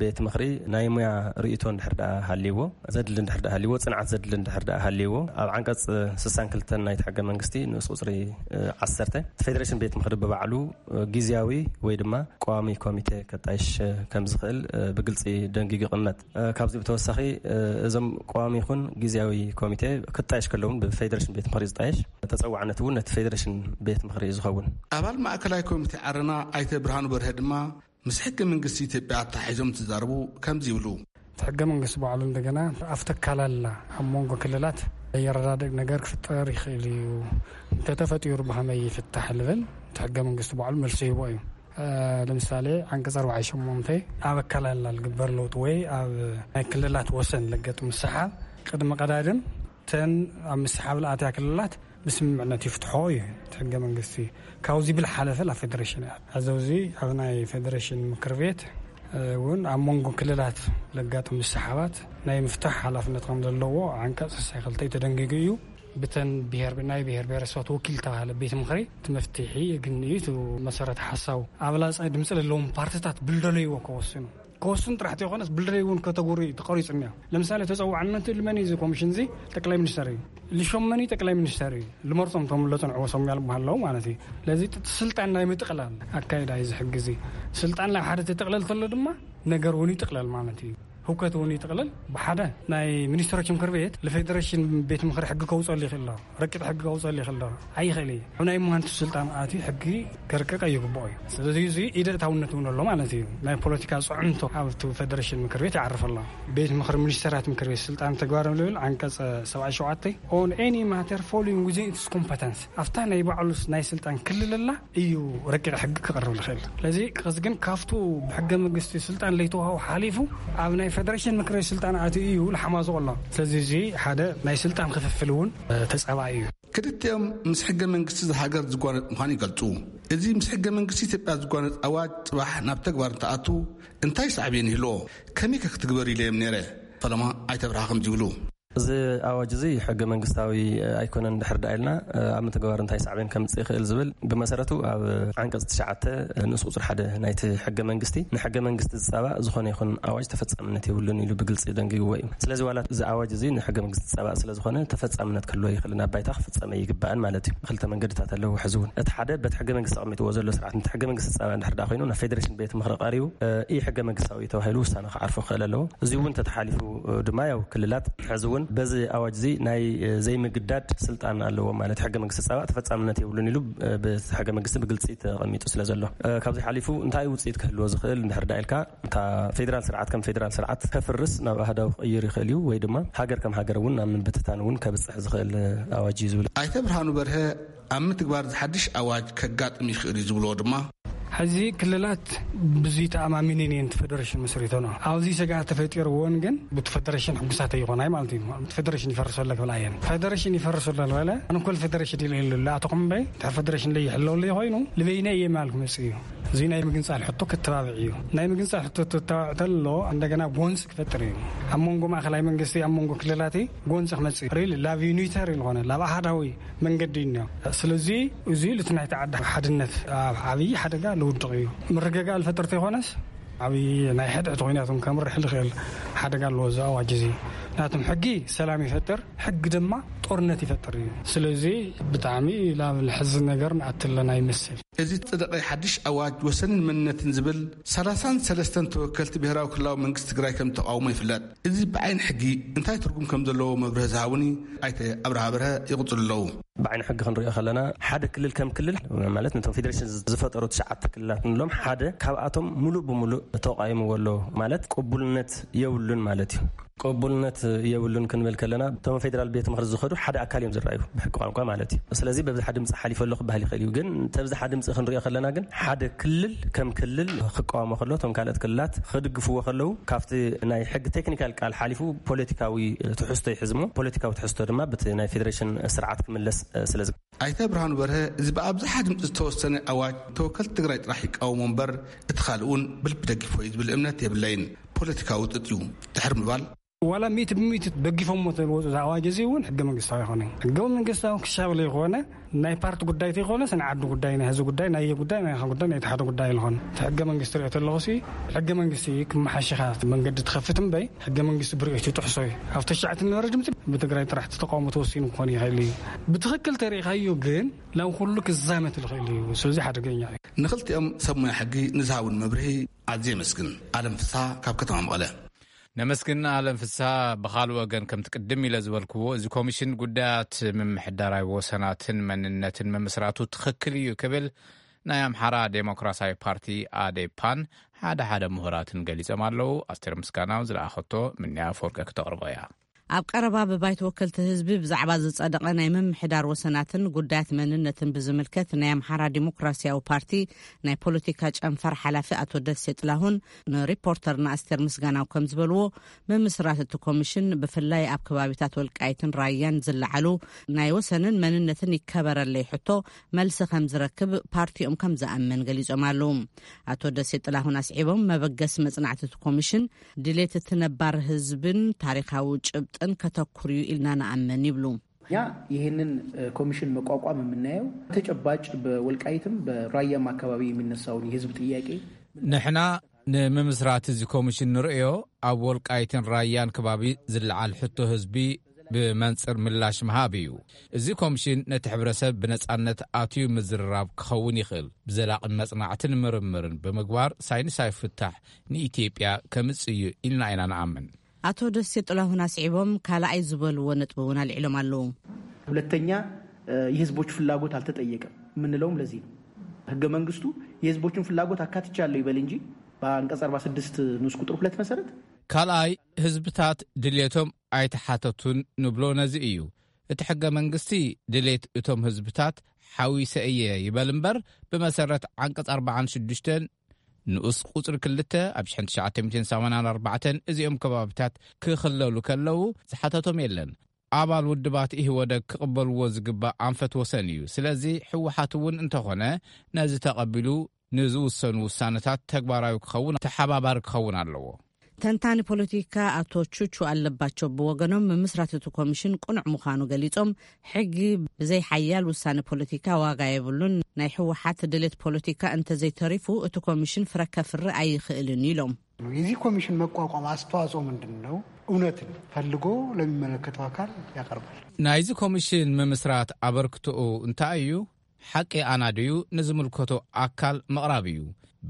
ቤት ምኽሪ ናይ ሙያ ርእይቶ እንድሕር ደኣ ሃልይዎ፣ ዘድሊ እንድሕር ደኣ ሃልይዎ፣ ፅንዓት ዘድሊ እንድሕር ደኣ ሃልይዎ፣ ኣብ ዓንቀፅ ስሳን ክልተን ናይቲ ሕገ መንግስቲ ንኡስ ቁፅሪ ዓሰርተ ፌደሬሽን ቤት ምኽሪ ብባዕሉ ግዝያዊ ወይ ድማ ቀዋሚ ኮሚቴ ከጣይሽ ከም ዝኽእል ብግልፂ ደንጊጉ ይቕመጥ። ካብዚ ብተወሳኺ እዞም ቀዋሚ ይኹን ግዝያዊ ኮሚቴ ክጣየሽ ከለውን ብፌደሬሽን ቤት ምኽሪ ዝጣየሽ፣ ተፀዋዕነት እውን ነቲ ፌደሬሽን ቤት ምኽሪ እዩ ዝኸውን። ኣባል ማእከላይ ኮሚቴ ዓረና ኣይተ ብርሃኑ በርሀ ድማ ምስ ሕገ መንግስቲ ኢትዮጵያ ኣተሓሒዞም ትዛረቡ ከምዚ ይብሉ። እቲ ሕገ መንግስቲ ባዕሉ እንደገና ኣብ ተካላላ ኣብ መንጎ ክልላት የረዳድእ ነገር ክፍጠር ይኽእል እዩ። እንተተፈጢሩ ብኸመይ ይፍታሕ ልብል እቲ ሕገ መንግስቲ ባዕሉ መልሲ ይህቦ እዩ። ለምሳሌ ዓንቀፅ ኣርባዓ ሸሞንተ ኣብ ኣካላላ ልግበር ለውጥ ወይ ኣብ ናይ ክልላት ወሰን ለገጥ ምስሓብ ቅድሚ ቀዳድም ተን ኣብ ምስሓብ ለኣትያ ክልላት ብስምምዕነት ይፍትሖ እዩ እቲ ሕገ መንግስቲ። ካብዚ ብልሓለፈ ላ ፌደሬሽን እያ። ኣዘውዚ ኣብ ናይ ፌደሬሽን ምክር ቤት እውን ኣብ መንጎ ክልላት ለጋጥም ምስሓባት ናይ ምፍታሕ ሓላፍነት ከም ዘለዎ ዓንቀፅ ስሳይ ክልተ ተደንጊጉ እዩ። ብተን ብሄር ናይ ብሄር ብሄረሰባት ወኪል ተባሃለ ቤት ምኽሪ እቲ መፍትሒ የግን እዩ። እቲ መሰረት ሓሳቡ ኣብ ላፃይ ድምፂ ለለዎም ፓርቲታት ብልደለይዎ ከወስኑ ከወስን ጥራሕ ተይኮነስ ብልደይ እውን ከተጉሪ ተቐሪፁ እኒኦ። ለምሳሌ ተፀዋዕነቱ ልመን እዚ ኮሚሽን እዚ ጠቅላይ ሚኒስተር እዩ። ልሾመኒ ጠቅላይ ሚኒስተር እዩ። ልመርፆም ቶም ለፅንዕዎ ሰሚያ ልበሃለው ማለት እዩ። ለዚ ስልጣን ናይ ምጥቅላል ኣካይዳ እዩ ዝሕግዚ። ስልጣን ናብ ሓደ ተጠቅለል ተሎ ድማ ነገር እውን ይጥቅለል ማለት እዩ። ህውከት እውን ይጥቅለል። ብሓደ ናይ ሚኒስትሮች ምክር ቤት ለፌዴሬሽን ቤት ምክሪ ሕጊ ከውፀሉ ይኽእል ኣሎ። ረቂቕ ሕጊ ከውፀሉ ይኽእል ዶ? ኣይኽእል እዩ። ኣብ ናይ መሃንቱ ስልጣን ኣትዩ ሕጊ ከርቅቕ ይግብኦ እዩ። ስለዚ እዚ ኢደ እታውነት እውን ኣሎ ማለት እዩ። ናይ ፖለቲካ ፅዕንቶ ኣብቲ ፌደሬሽን ምክር ቤት ይዓርፍ ኣሎ። ቤት ምክሪ ሚኒስተራት ምክር ቤት ስልጣን ተግባር ልብል ዓንቀፅ ሰብዓይ ሸውዓተ on any matter falling within its competence ኣብታ ናይ ባዕሉ ናይ ስልጣን ክልል ኣላ እዩ ረቂቕ ሕጊ ክቐርብ ዝኽእል። ስለዚ ከዚ ግን ካብቱ ብሕገ መንግስቲ ስልጣን ለይተዋሃቡ ሓሊፉ ኣብ ናይ ፌደሬሽን ምክር ቤት ስልጣን ኣትዩ እዩ ልሓማዞ ኣሎ። ስለዚ እዚ ሓደ ናይ ስልጣን ክፍፍል እውን ተጻባኢ እዩ። ክልቲኦም ምስ ሕገ መንግስቲ እዛ ሃገር ዝጓነጽ ምዃኑ ይገልጹ። እዚ ምስ ሕገ መንግስቲ ኢትዮጵያ ዝጓነጽ ኣዋጅ ጽባሕ ናብ ተግባር እንተኣቱ እንታይ ሳዕቤን ይህልዎ? ከመይ ከ ክትግበር ኢለዮም ነይረ? ፈለማ ኣይተብርሃ ከምዚ ይብሉ። እዚ ኣዋጅ እዚ ሕገ መንግስታዊ ኣይኮነን ድሕር ደኣ ኢልና ኣብ ምትግባር እንታይ ሳዕቤን ከምጽእ ይኽእል ዝብል ብመሰረቱ ኣብ ዓንቀጽ ትሽዓተ ንኡስ ቁጽሪ ሓደ ናይቲ ሕገ መንግስቲ ንሕገ መንግስቲ ዝጻባእ ዝኾነ ይኹን ኣዋጅ ተፈጻምነት የብሉን ኢሉ ብግልጺ ደንጊግዎ እዩ። ስለዚ ዋላ እዚ ኣዋጅ እዚ ንሕገ መንግስቲ ዝጻባእ ስለ ዝኾነ ተፈጻምነት ክህልዎ ይኽእልን ኣብ ባይታ ክፍጸመ ይግባእን ማለት እዩ። ክልተ መንገድታት ኣለዎ። ሕዚ እውን እቲ ሓደ በቲ ሕገ መንግስቲ ኣቐሚጥዎ ዘሎ ስርዓት ነቲ ሕገ መንግስቲ ዝጻባእ እንድሕር ደኣ ኮይኑ ናብ ፌደሬሽን ቤት ምኽሪ ቀሪቡ ኢ ሕገ መንግስታዊ ተባሂሉ ውሳነ ክዓርፎ ክኽእል ኣለዎ። እዚ እውን ተተሓሊፉ ድማ ያው ክልላት ሕዚ እውን በዚ ኣዋጅ እዚ ናይ ዘይምግዳድ ስልጣን ኣለዎ ማለት ሕገ መንግስቲ ፃባእ ተፈፃምነት የብሉን ኢሉ በቲ ሕገ መንግስቲ ብግልፂ ተቐሚጡ ስለ ዘሎ ካብዚ ሓሊፉ እንታይ ውፅኢት ክህልዎ ዝኽእል እንድሕር ዳ ኢልካ እታ ፌዴራል ስርዓት ከም ፌዴራል ስርዓት ከፍርስ ናብ ኣህዳዊ ክቕይር ይኽእል እዩ ወይ ድማ ሃገር ከም ሃገር እውን ናብ ምብትታን እውን ከብፅሕ ዝኽእል ኣዋጅ እዩ ዝብል። ኣይተ ብርሃኑ በርሀ ኣብ ምትግባር ዝሓድሽ ኣዋጅ ከጋጥም ይኽእል እዩ ዝብልዎ ድማ ሕዚ ክልላት ብዙይ ተኣማሚነን እየን እቲ ፌደሬሽን መስሪተን። ኣብዚ ስግኣት ተፈጢርዎን ግን ብቲ ፌደሬሽን ሕጉሳት ኣይኾናይ ማለት እዩ። እቲ ፌደሬሽን ይፈርስ ኣሎ ክብላ እየን። ፌደሬሽን ይፈርስ ኣሎ ዝበለ ኣነ ኮል ፌደሬሽን ኢለ ኢሉ ኣሎ ኣቶ ኹምበይ ድሕሪ ፌደሬሽን ለይሕለውሉ ኮይኑ ልበይነ እየ ማል ክመጽእ እዩ። እዚ ናይ ምግንጻል ሕቶ ክተባብዕ እዩ። ናይ ምግንጻል ሕቶ ተተባብዕ ተሎ እንደገና ጎንፂ ክፈጥር እዩ። ኣብ መንጎ ማእኸላይ መንግስቲ ኣብ መንጎ ክልላት ጎንፂ ክመጽእ እዩ። ሪል ላቭ ዩኒተር ዝኾነ ላብ ኣሃዳዊ መንገዲ እዩ እኒኦ። ስለዚ እዚ ልቲ ናይቲ ዓዲ ሓድነት ኣብ ዓብዪ ሓደጋ ልውድቕ እዩ። ምርግጋእ ልፈጥር ተይኮነስ ዓብዪ ናይ ሕድሕድ ኮይናት እውን ከምርሕ ልኽእል ሓደጋ ኣለዎ እዚ ኣዋጅ እዚ። ናቱም ሕጊ ሰላም ይፈጥር፣ ሕጊ ድማ ጦርነት ይፈጥር እዩ። ስለዚ ብጣዕሚ ላብ ልሕዝን ነገር ንኣትለና ይመስል። እዚ ዝጸደቐ ሓድሽ ኣዋጅ ወሰንን መንነትን ዝብል ሰላሳን ሰለስተን ተወከልቲ ብሄራዊ ክልላዊ መንግስቲ ትግራይ ከም ተቃውሞ ይፍለጥ። እዚ ብዓይኒ ሕጊ እንታይ ትርጉም ከም ዘለዎ መብርሂ ዝሃቡኒ ኣይተ ኣብርሃ በርሀ ይቕጽሉ ኣለዉ። ብዓይኒ ሕጊ ክንሪኦ ከለና ሓደ ክልል ከም ክልል ማለት ነቶም ፌዴሬሽን ዝፈጠሩ ትሽዓተ ክልላት ንብሎም ሓደ ካብኣቶም ሙሉእ ብሙሉእ ተቃይምዎ ኣሎ ማለት ቅቡልነት የብሉን ማለት እዩ። ቅቡልነት የብሉን ክንብል ከለና እቶም ፌዴራል ቤት ምኽሪ ዝኸዱ ሓደ ኣካል እዮም ዝረኣዩ ብሕቂ ቋንቋ ማለት እዩ። ስለዚ በብዝሓ ድምፂ ሓሊፈ ኣሎ ክበሃል ይኽእል እዩ። ግን ተብዝሓ ድምፂ ክንሪኦ ከለና ግን ሓደ ክልል ከም ክልል ክቃወሞ ከሎ እቶም ካልኦት ክልላት ክድግፍዎ ከለዉ ካብቲ ናይ ሕጊ ቴክኒካል ቃል ሓሊፉ ፖለቲካዊ ትሕዝቶ ይሕዝሞ። ፖለቲካዊ ትሕዝቶ ድማ በቲ ናይ ፌዴሬሽን ስርዓት ክምለስ ስለ ኣይተ ብርሃኑ በርሀ፣ እዚ ብኣብዝሓ ድምፂ ዝተወሰነ ኣዋጅ ተወከልቲ ትግራይ ጥራሕ ይቃወሞ እምበር፣ እቲ ካልእ እውን ብልቢ ደግፎ እዩ ዝብል እምነት የብለይን። ፖለቲካዊ ጥጥ እዩ ድሕር ምባል። ዋላ ሚእቲ ብሚእቲ ደጊፎሞ ተልወፁ ዝኣዋጅ እዚ እውን ሕገ መንግስታዊ ይኾነ። ሕገ መንግስታዊ ክሻብ ለይኾነ፣ ናይ ፓርቲ ጉዳይ ተይኮነ፣ ስነ ዓዱ ጉዳይ፣ ናይ ህዝቢ ጉዳይ፣ ናይ ጉዳይ፣ ናይ ጉዳይ፣ ናይ ተሓደ ጉዳይ ይልኾነ። እቲ ሕገ መንግስቲ ሪኦ ተለኹ ሲ፣ ሕገ መንግስቲ ክመሓሽኻ መንገዲ ትኸፍት እምበይ፣ ሕገ መንግስቲ ብሪኦት ይጥሕሶ እዩ። ኣብ ተሻዕቲ ንበረ ድምፂ ብትግራይ ጥራሕ ተቃውሞ ተወሲኑ ክኾን ይኽእል እዩ። ብትኽክል ተሪኢኻዮ ግን ናብ ኩሉ ክዛመት ዝኽእል እዩ። ስለዚ ሓደገኛ እዩ። ንኽልቲኦም ሰብ ሞያ ሕጊ ንዝሃቡን መብርሂ ኣዝየ የመስግን። ኣለም ፍስሃ ካብ ከተማ መቐለ። ነመስግን ኣለም ፍስሃ። ብኻልእ ወገን፣ ከምቲ ቅድም ኢለ ዝበልክዎ፣ እዚ ኮሚሽን ጉዳያት ምምሕዳራዊ ወሰናትን መንነትን ምምስራቱ ትኽክል እዩ ክብል ናይ ኣምሓራ ዴሞክራሲያዊ ፓርቲ ኣዴፓን ሓደ ሓደ ምሁራትን ገሊጾም ኣለዉ። ኣስቴር ምስጋናው ዝለኣኸቶ ምንያ ኣፈወርቂ ክተቕርቦ እያ። ኣብ ቀረባ ብባይቶ ወከልቲ ህዝቢ ብዛዕባ ዝጸደቐ ናይ ምምሕዳር ወሰናትን ጉዳያት መንነትን ብዝምልከት፣ ናይ ኣምሓራ ዲሞክራሲያዊ ፓርቲ ናይ ፖለቲካ ጨንፈር ሓላፊ ኣቶ ደሴ ጥላሁን ንሪፖርተርና ኣስቴር ምስጋናው ከም ዝበልዎ፣ ምምስራት እቲ ኮሚሽን ብፍላይ ኣብ ከባቢታት ወልቃይትን ራያን ዝለዓሉ ናይ ወሰንን መንነትን ይከበረለይ ሕቶ መልሲ ከም ዝረክብ ፓርቲኦም ከም ዝኣምን ገሊጾም ኣለዉ። ኣቶ ደሴ ጥላሁን ኣስዒቦም፣ መበገሲ መጽናዕቲ እቲ ኮሚሽን ድሌት እቲ ነባር ህዝብን ታሪኻዊ ጭብጥን ከተኩር እዩ ኢልና ንኣምን ይብሉ። እኛ ይህንን ኮሚሽን መቋቋም የምናየው ተጨባጭ በወልቃይትም በራያም አካባቢ የሚነሳውን የህዝብ ጥያቄ ንሕና ንምምስራት እዚ ኮሚሽን ንርእዮ ኣብ ወልቃይትን ራያን ከባቢ ዝለዓል ሕቶ ህዝቢ ብመንጽር ምላሽ ምሃብ እዩ። እዚ ኮሚሽን ነቲ ሕብረተሰብ ብነጻነት ኣትዩ ምዝርራብ ክኸውን ይኽእል፣ ብዘላቒ መጽናዕትን ምርምርን ብምግባር ሳይንሳዊ ፍታሕ ንኢትዮጵያ ከምጽእ እዩ ኢልና ኢና ንኣምን። ኣቶ ደሴ ጥላሁን ኣስዒቦም ካልኣይ ዝበልዎ ነጥቢ እውን ኣልዒሎም ኣለዉ። ሁለተኛ የህዝቦች ፍላጎት አልተጠየቀም የምንለውም ለዚህ ነው። ህገ መንግስቱ የህዝቦችን ፍላጎት አካትቻለሁ ይበል እንጂ በአንቀጽ አርባ ስድስት ንዑስ ቁጥር ሁለት መሰረት ካልኣይ ህዝብታት ድሌቶም ኣይተሓተቱን ንብሎ ነዚ እዩ። እቲ ሕገ መንግስቲ ድሌት እቶም ህዝብታት ሓዊሰ እየ ይበል እምበር ብመሰረት ዓንቀጽ ኣርባዓን ሽዱሽተን ንኡስ ቁጽሪ ክልተ ኣብ ሽሕን ትሽዓተ ሚእትን ሰማንያን ኣርባዕተን እዚኦም ከባቢታት ክኽለሉ ከለዉ ዝሓተቶም የለን። ኣባል ውድባት ኢህወደግ ክቕበልዎ ዝግባእ ኣንፈት ወሰን እዩ። ስለዚ ህወሓት እውን እንተኾነ ነዚ ተቐቢሉ ንዝውሰኑ ውሳነታት ተግባራዊ ክኸውን ተሓባባሪ ክኸውን ኣለዎ። ተንታኒ ፖለቲካ ኣቶ ቹቹ ኣለባቸው ብወገኖም ምምስራት እቲ ኮሚሽን ቅኑዕ ምዃኑ ገሊጾም፣ ሕጊ ብዘይ ሓያል ውሳነ ፖለቲካ ዋጋ የብሉን፣ ናይ ህወሓት ድሌት ፖለቲካ እንተዘይተሪፉ እቲ ኮሚሽን ፍረ ከፍሪ ኣይኽእልን ኢሎም። የዚህ ኮሚሽን መቋቋም አስተዋጽኦ ምንድን ነው? እውነትን ፈልጎ ለሚመለከተው አካል ያቀርባል። ናይዚ ኮሚሽን ምምስራት ኣበርክቶኡ እንታይ እዩ? ሓቂ ኣናድዩ ንዝምልከቶ ኣካል ምቕራብ እዩ።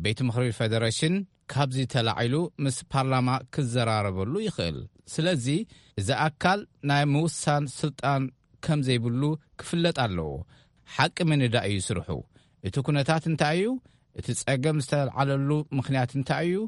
ቤት ምኽሪ ፌደሬሽን ካብዚ ተላዒሉ ምስ ፓርላማ ክዘራረበሉ ይኽእል። ስለዚ እዚ ኣካል ናይ ምውሳን ስልጣን ከም ዘይብሉ ክፍለጥ ኣለዎ። ሓቂ ምንዳእ እዩ ስርሑ። እቲ ኩነታት እንታይ እዩ? እቲ ጸገም ዝተልዓለሉ ምኽንያት እንታይ እዩ?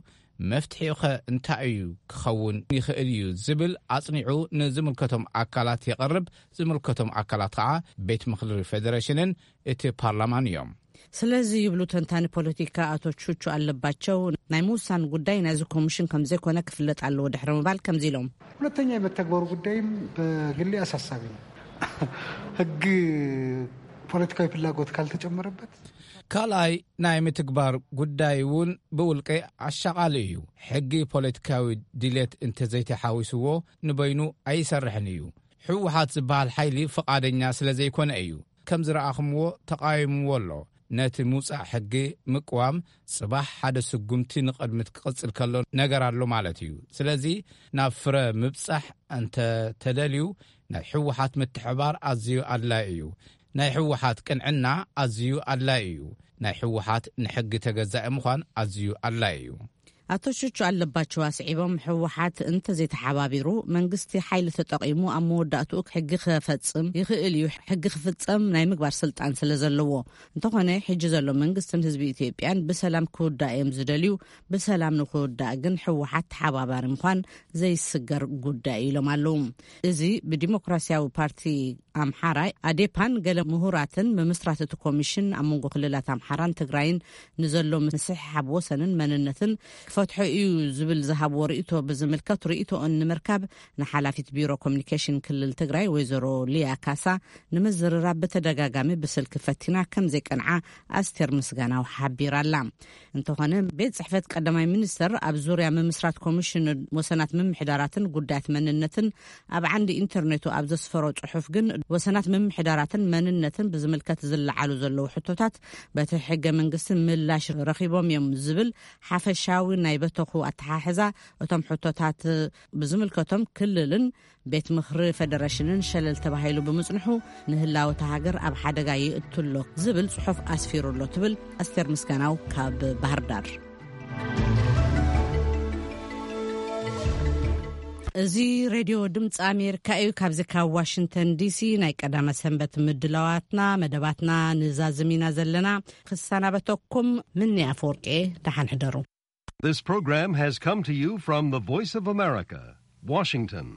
መፍትሒኡኸ እንታይ እዩ ክኸውን ይኽእል እዩ ዝብል ኣጽኒዑ ንዝምልከቶም ኣካላት የቕርብ። ዝምልከቶም ኣካላት ኸዓ ቤት ምኽሪ ፌደሬሽንን እቲ ፓርላማን እዮም። ስለዚ ይብሉ ተንታኒ ፖለቲካ ኣቶ ቹቹ ኣለባቸው፣ ናይ ምውሳን ጉዳይ ናይዚ ኮሚሽን ከም ዘይኮነ ክፍለጥ ኣለዎ ድሕሪ ምባል ከምዚ ኢሎም። ሁለተኛ የመተግበሩ ጉዳይም በግሌ አሳሳቢ ነው። ህግ ፖለቲካዊ ፍላጎት ካልተጨመረበት ካልኣይ ናይ ምትግባር ጉዳይ እውን ብውልቂ ኣሻቓሊ እዩ። ሕጊ ፖለቲካዊ ድሌት እንተዘይተሓዊስዎ ንበይኑ ኣይሰርሕን እዩ። ህወሓት ዝበሃል ሓይሊ ፍቓደኛ ስለ ዘይኮነ እዩ። ከም ዝረኣኹምዎ ተቓዊምዎ ኣሎ። ነቲ ምውጻእ ሕጊ ምቅዋም ጽባሕ ሓደ ስጉምቲ ንቕድሚት ክቕጽል ከሎ ነገር ኣሎ ማለት እዩ። ስለዚ ናብ ፍረ ምብጻሕ እንተ ተደልዩ ናይ ህወሓት ምትሕባር ኣዝዩ ኣድላይ እዩ። ናይ ህወሓት ቅንዕና ኣዝዩ ኣድላይ እዩ። ናይ ህወሓት ንሕጊ ተገዛኢ ምዃን ኣዝዩ ኣድላይ እዩ። ኣቶ ቹቹ ኣለባቸው ኣስዒቦም፣ ህወሓት እንተዘይተሓባቢሩ መንግስቲ ሓይሊ ተጠቒሙ ኣብ መወዳእትኡ ሕጊ ክፈጽም ይኽእል እዩ። ሕጊ ክፍጸም ናይ ምግባር ስልጣን ስለ ዘለዎ። እንተኾነ ሕጂ ዘሎ መንግስትን ህዝቢ ኢትዮጵያን ብሰላም ክውዳእ እዮም ዝደልዩ። ብሰላም ንክውዳእ ግን ህወሓት ተሓባባሪ ምዃን ዘይስገር ጉዳይ ኢሎም ኣለዉ። እዚ ብዲሞክራሲያዊ ፓርቲ ኣምሓራ ኣዴፓን ገለ ምሁራትን ምምስራት እቲ ኮሚሽን ኣብ መንጎ ክልላት ኣምሓራን ትግራይን ንዘሎ ምስሕሓብ ወሰንን መንነትን ክፈትሖ እዩ ዝብል ዝሃብዎ ርእይቶ ብዝምልከት ርእይቶኦን ንምርካብ ንሓላፊት ቢሮ ኮሚኒኬሽን ክልል ትግራይ ወይዘሮ ሊያ ካሳ ንምዝርራብ ብተደጋጋሚ ብስልኪ ፈቲና ከም ዘይቀንዓ ኣስቴር ምስጋናው ሓቢራላ። እንተኾነ ቤት ጽሕፈት ቀዳማይ ሚኒስተር ኣብ ዙርያ ምምስራት ኮሚሽን ወሰናት ምምሕዳራትን ጉዳያት መንነትን ኣብ ዓንዲ ኢንተርኔቱ ኣብ ዘስፈሮ ጽሑፍ ግን ወሰናት ምምሕዳራትን መንነትን ብዝምልከት ዝለዓሉ ዘለዉ ሕቶታት በቲ ሕገ መንግስቲ ምላሽ ረኺቦም እዮም ዝብል ሓፈሻዊ ናይ በተኹ ኣተሓሕዛ እቶም ሕቶታት ብዝምልከቶም ክልልን ቤት ምኽሪ ፈደረሽንን ሸለል ተባሂሉ ብምጽንሑ ንህላወ እታ ሃገር ኣብ ሓደጋ ይእትሎ ዝብል ጽሑፍ ኣስፊሩ ኣሎ ትብል ኣስቴር ምስጋናው ካብ ባህር ዳር። እዚ ሬድዮ ድምፂ ኣሜሪካ እዩ። ካብዚ ካብ ዋሽንግተን ዲሲ ናይ ቀዳመ ሰንበት ምድላዋትና መደባትና ንዛዝም ኢና ዘለና። ክሰናበተኩም ምኒ ኣፈወርቂ፣ ደሓን ሕደሩ። This program has come to you from the Voice of America, Washington.